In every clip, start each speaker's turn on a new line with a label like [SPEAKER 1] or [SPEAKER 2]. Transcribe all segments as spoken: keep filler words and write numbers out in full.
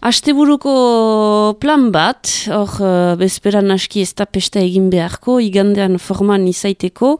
[SPEAKER 1] Asteburuko plan bat, hor uh, bezperan aski ez da pesta egin beharko, igandean forman izaiteko,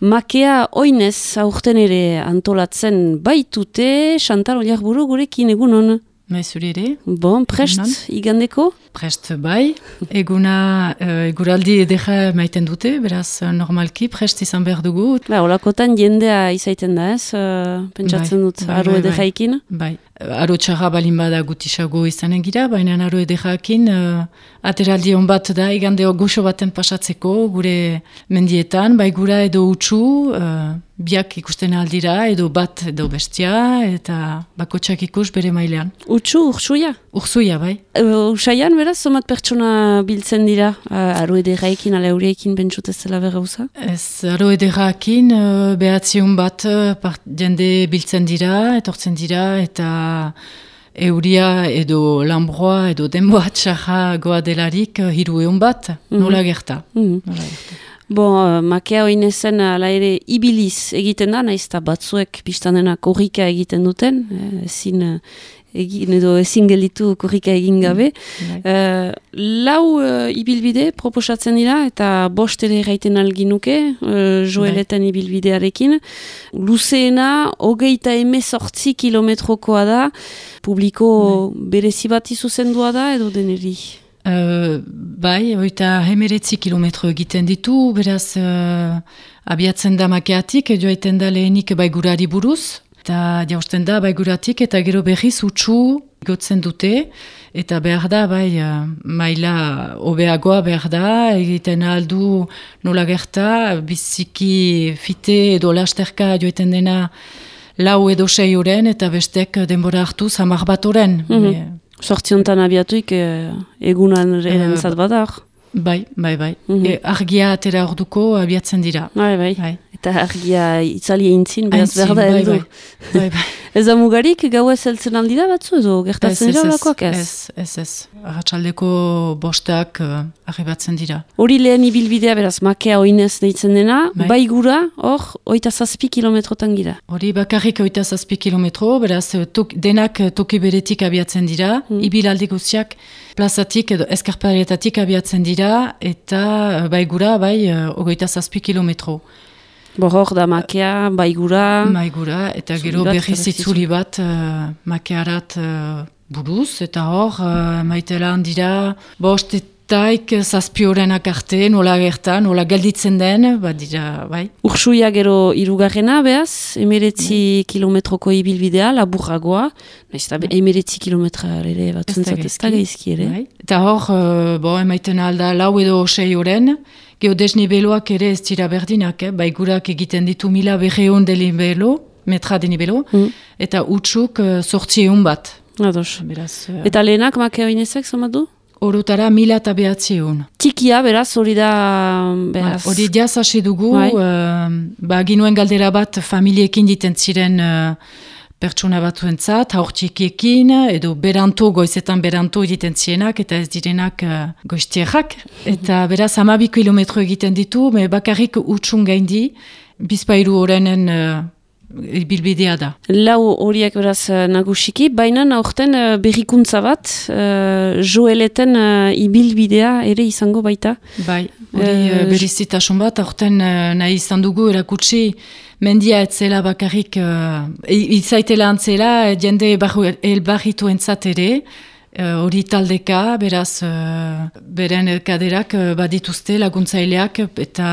[SPEAKER 1] makea oinez aurten ere antolatzen baitute, Chantal Oliarburu gurekin egun hon.
[SPEAKER 2] Maizuri ere.
[SPEAKER 1] Bon, prest igandeko?
[SPEAKER 2] Prest bai, eguna uh, eguraldi edera maiten dute, beraz normalki prest izan behar dugu.
[SPEAKER 1] Ba, olakotan jendea izaiten da ez, uh, pentsatzen bai, dut, bai, aro edera
[SPEAKER 2] Bai, aro txarra balin bada gutisago izanen gira, baina aro ederakin uh, ateraldi hon bat da, igandeo goxo baten pasatzeko, gure mendietan, bai gura edo utxu, uh, biak ikusten aldira, edo bat edo bestia, eta bakotxak ikus bere mailean.
[SPEAKER 1] Utxu, ursuia?
[SPEAKER 2] Ursuia, bai.
[SPEAKER 1] Uh, Usaian, beraz, somat pertsona biltzen dira, uh, aro ederaekin, ala euriekin bentsut ez zela berrauza? Ez,
[SPEAKER 2] aro ederaekin, uh, behatziun bat uh, part, jende biltzen dira, etortzen dira, eta euria edo lambroa edo denboa txarra goa delarik uh, hiru eun bat, mm-hmm. nola gerta. Mm-hmm. Nola gerta.
[SPEAKER 1] Bon, uh, makea oinezen ala ere ibiliz egiten da, naiz eta batzuek biztanena korrika egiten duten, eh, ezin, egin edo ezin gelitu korrika egin gabe. Mm, uh, lau uh, ibilbide proposatzen dira, eta bost ere erraiten alginuke, uh, joeleten ibilbidearekin. Luzeena, hogeita emezortzi kilometrokoa da, publiko berezi bat izuzendua da, edo deneri?
[SPEAKER 2] Uh, bai, oita hemeretzi kilometro egiten ditu, beraz uh, abiatzen da makeatik, joaiten da lehenik baigurari buruz, eta jausten da baiguratik, eta gero berriz utxu gotzen dute, eta behar da, bai, uh, maila hobeagoa behar da, egiten aldu nola gerta, biziki fite edo lasterka joaiten dena lau edo sei oren, eta bestek denbora hartu zamar bat oren.
[SPEAKER 1] Mm-hmm. Sortziontan abiatuik e, egunan erantzat badar.
[SPEAKER 2] Bai, bai, bai. Mm-hmm. E, argia atera orduko abiatzen dira.
[SPEAKER 1] Bai, bai. bai. Eta argia itzali eintzin, beraz berda
[SPEAKER 2] bai,
[SPEAKER 1] heldu.
[SPEAKER 2] Bai, bai, bai.
[SPEAKER 1] Ez da mugarik gau ez heltzen aldira batzu edo gertatzen dira olakoak ez?
[SPEAKER 2] Ez, ez, ez. Arratsaldeko bostak uh, arribatzen dira.
[SPEAKER 1] Hori lehen ibilbidea beraz, makea oinez deitzen dena, bai, bai gura, hor, oita zazpi kilometrotan gira.
[SPEAKER 2] Hori bakarrik oita zazpi kilometro, beraz, tok, denak toki beretik abiatzen dira, hmm. ibilaldi guztiak plazatik edo eskarparetatik abiatzen dira, eta bai gura, bai, ogoita zazpi kilometro.
[SPEAKER 1] Bo hor da makea, baigura...
[SPEAKER 2] Baigura, eta gero berriz itzuli bat uh, makearat uh, buruz, eta hor uh, maitela handira bost etaik zazpiorenak arte, nola gerta, nola gelditzen den, bat dira, bai.
[SPEAKER 1] Ursuia gero irugarrena, behaz, emeretzi bai. Kilometroko ibilbidea, laburragoa, nahiz eta emeretzi kilometra ere bat zuntzat ez da gaizki ere. Bai.
[SPEAKER 2] Eta hor, uh, bo, emaiten alda lau edo sei oren, geodesnibeloak ere ez dira berdinak, eh? Baigurak egiten ditu mila berreun denibelo, metra denibelo, mm. eta utxuk sortzi uh, eun bat.
[SPEAKER 1] Ados. Beraz, uh... Eta lehenak makea oinezek, somatu?
[SPEAKER 2] Orotara mila eta behatzi eun.
[SPEAKER 1] Tikia, beraz, hori da... Beraz...
[SPEAKER 2] Hori diaz hasi dugu, uh, ba, ginuen galdera bat familiekin diten ziren... Uh, pertsona batzuentzat, haurtxikiekin, edo beranto, goizetan beranto egiten zienak, eta ez direnak uh, goiztierrak. Eta beraz, hamabi kilometro egiten ditu, me bakarrik utxun gaindi, bizpairu horrenen uh, bilbidea da.
[SPEAKER 1] Lau horiek beraz nagusiki, baina aurten uh, berrikuntza bat, uh, joeleten uh, ibilbidea ere izango baita.
[SPEAKER 2] Bai, hori uh, berizitasun bat, aurten uh, nahi izan dugu erakutsi, mendia etzela bakarrik, uh, izaitela antzela, jende elbarritu entzat ere, hori uh, taldeka, beraz, uh, beren kaderak uh, badituzte laguntzaileak eta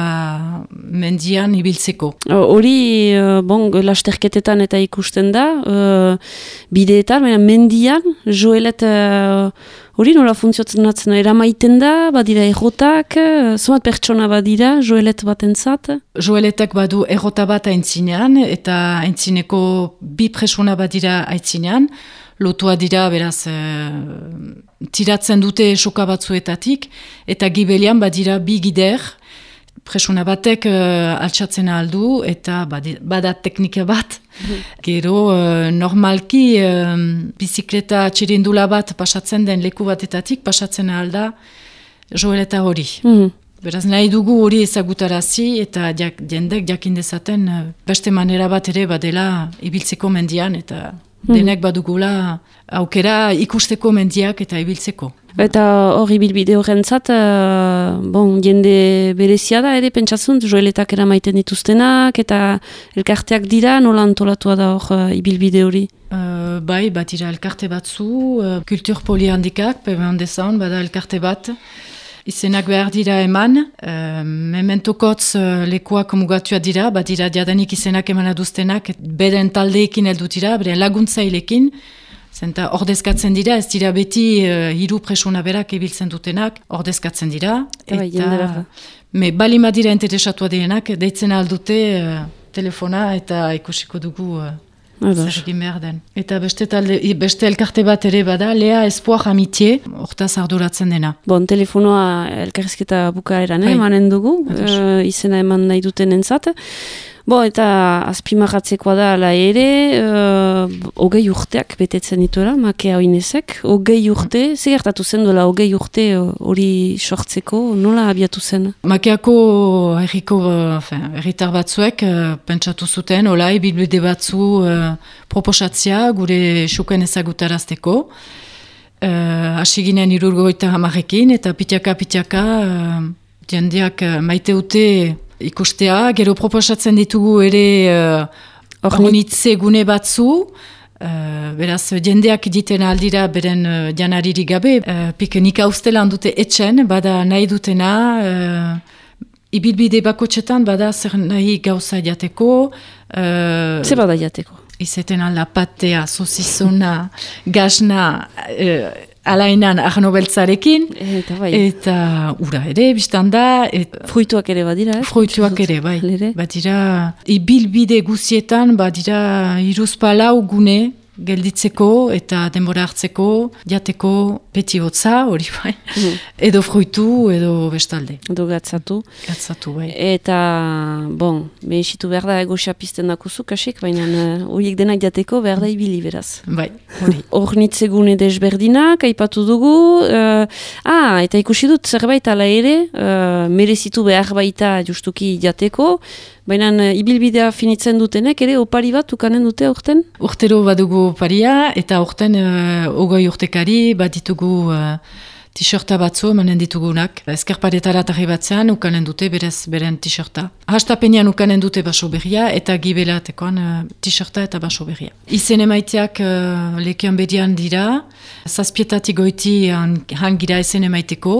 [SPEAKER 2] mendian ibiltzeko.
[SPEAKER 1] Hori, uh, bon, lasterketetan eta ikusten da, uh, bideetan, mendian, joelet... Uh, Hori nola funtzionatzen eramaiten da, badira errotak, zomat pertsona badira, joelet bat entzat?
[SPEAKER 2] Joeletak badu errota bat aintzinean, eta aintzineko bi presona badira aintzinean, lotua dira, beraz, e, tiratzen dute soka batzuetatik, eta gibelian badira bi gider, presuna batek uh, altsatzen aldu, eta bada teknika bat. Gero, uh, normalki, uh, bizikleta txirindula bat pasatzen den leku batetatik, pasatzen alda joeleta hori. Mm. Beraz, nahi dugu hori ezagutarazi, eta jak, jendek jakin dezaten uh, beste manera bat ere badela ibiltzeko mendian, eta denek badugula aukera ikusteko mendiak eta ibiltzeko.
[SPEAKER 1] Eta hori bilbide horrentzat, uh, bon, jende berezia da ere, pentsatzen, joeletak eramaiten dituztenak, eta elkarteak dira, nola antolatua da hor uh, ibilbide hori?
[SPEAKER 2] Uh, bai, bat ira elkarte batzu, uh, kultur polihandikak, pemen dezan, bada elkarte bat, izenak behar dira eman, uh, mementokotz uh, lekuak mugatua dira, bat dira diadanik izenak eman aduztenak, beden taldeekin heldu dira, beren laguntzailekin, zenta ordezkatzen dira, ez dira beti uh, hiru presuna berak ibiltzen dutenak, ordezkatzen dira,
[SPEAKER 1] eta,
[SPEAKER 2] eta me balima dira interesatua direnak, deitzen aldute uh, telefona eta ikusiko dugu uh, zer egin behar den. Eta beste, talde, beste elkarte bat ere bada, Lea Espoir Amitié, hortaz arduratzen dena.
[SPEAKER 1] Bon, telefonoa elkarrizketa bukaeran emanen dugu, uh, izena eman nahi duten entzat. Bo, eta azpimarratzekoa da ala ere, uh, hogei urteak betetzen dituela, Makea Oinezek. Hogei urte, ze gertatu zen duela hogei urte hori sortzeko, nola abiatu zen?
[SPEAKER 2] Makeako herriko, herritar batzuek uh, pentsatu zuten, olai, bilbide batzu uh, proposatzea gure xuken ezagutarazteko. Uh, Asiginen irurgoita hamarekin, eta pitiaka-pitiaka uh, jendeak uh, maiteute ikustea, gero proposatzen ditugu ere uh, ornitze gune batzu, uh, beraz jendeak diten aldira beren uh, janariri gabe, uh, pikenik hauztelan dute etxen, bada nahi dutena, uh, ibilbide bakotxetan bada zer nahi gauza jateko. Uh,
[SPEAKER 1] Zer bada jateko?
[SPEAKER 2] Izeten alda patea, sosizona, gazna, uh, alainan arno beltzarekin,
[SPEAKER 1] eta, bai.
[SPEAKER 2] Eta ura ere, biztan da. Et,
[SPEAKER 1] fruituak ere badira, eh?
[SPEAKER 2] Fruituak ere, bai. Badira, ibilbide guzietan, badira iruzpalau gune gelditzeko eta denbora hartzeko, jateko beti hotza, hori bai, mm. edo fruitu, edo bestalde.
[SPEAKER 1] Edo gatzatu.
[SPEAKER 2] Gatzatu, bai.
[SPEAKER 1] Eta, bon, behesitu behar da egosia pizten dakuzu, kasik, baina horiek uh, denak jateko behar da ibili beraz.
[SPEAKER 2] Bai, hori.
[SPEAKER 1] Ornitzegune desberdinak, aipatu dugu, uh, ah, eta ikusi dut zerbait ala ere, uh, merezitu behar baita justuki jateko, baina uh, ibilbidea finitzen dutenek, ere opari bat ukanen dute aurten?
[SPEAKER 2] Urtero badugu oparia, eta aurten uh, ogoi urtekari bat ditugu uh, t-shirta batzu emanen ditugunak. Eskerparetara tarri batzean ukanen dute berez beren t-shirta. Hastapenean ukanen dute baso berria, eta gibelatekoan uh, t-shirta eta baso berria. Izen emaiteak uh, lekian berian dira, zazpietatik goiti hangira izen emaiteko,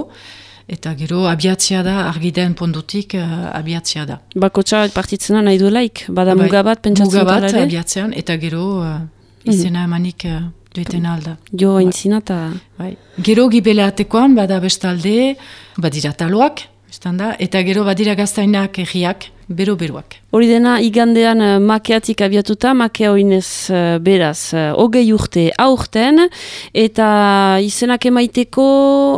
[SPEAKER 2] eta gero abiatzia da, argiden pondutik uh, abiatzia da.
[SPEAKER 1] Bakotxa partitzena nahi duelaik, bada bai, muga bat pentsatzen
[SPEAKER 2] muga bat
[SPEAKER 1] talare?
[SPEAKER 2] Abiatzean, eta gero uh, izena emanik uh, dueten alda.
[SPEAKER 1] Jo haintzina eta...
[SPEAKER 2] Bai. Gero gibelatekoan bada bestalde, badira taloak, da, eta gero badira gaztainak egiak, bero-beroak.
[SPEAKER 1] Hori dena igandean uh, Makeatik abiatuta, Makea Oinez uh, beraz, uh, hogei urte aurten, eta izenak emaiteko,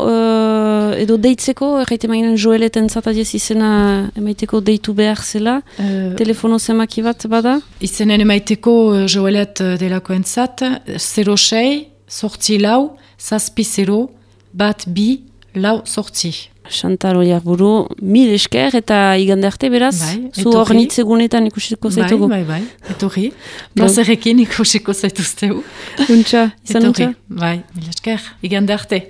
[SPEAKER 1] uh, edo deitzeko, erraite mainen Joeleten zatadiez izena emaiteko deitu behar zela, uh, telefono zemaki bat bada?
[SPEAKER 2] Izenen emaiteko uh, Joelet uh, delakoen zat, zero sei, sortzi lau, zazpi zero, bat bi, lau sortzi.
[SPEAKER 1] Chantal Oiarburu, mil esker eta igande arte beraz,
[SPEAKER 2] bai,
[SPEAKER 1] zu ornitzegunetan ikusiko zaitugu.
[SPEAKER 2] Bai, bai, bai, etorri. Plazerekin ikusiko zaituzteu.
[SPEAKER 1] Untxa, izan untxa.
[SPEAKER 2] Bai, mil esker, igande arte.